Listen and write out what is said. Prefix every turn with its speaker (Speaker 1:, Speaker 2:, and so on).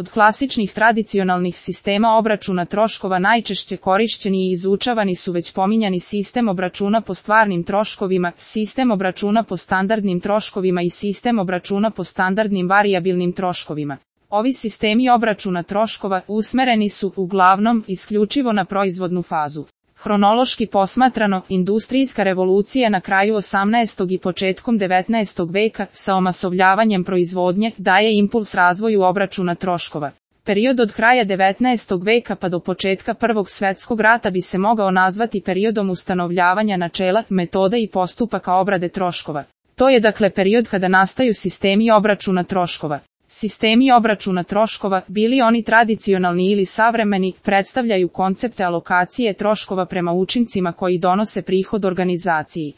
Speaker 1: Od klasičnih tradicionalnih sistema obračuna troškova najčešće korišćeni i izučavani su već pominjani sistem obračuna po stvarnim troškovima, sistem obračuna po standardnim troškovima i sistem obračuna po standardnim varijabilnim troškovima. Ovi sistemi obračuna troškova usmereni su uglavnom isključivo na proizvodnu fazu. Hronološki posmatrano, industrijska revolucija na kraju 18. i početkom 19. veka sa omasovljavanjem proizvodnje daje impuls razvoju obračuna troškova. Period od kraja 19. veka pa do početka Prvog svjetskog rata bi se mogao nazvati periodom ustanovljavanja načela, metoda i postupaka obrade troškova. To je dakle period kada nastaju sistemi obračuna troškova. Sistemi obračuna troškova, bili oni tradicionalni ili savremeni, predstavljaju koncepte alokacije troškova prema učincima koji donose prihod organizaciji.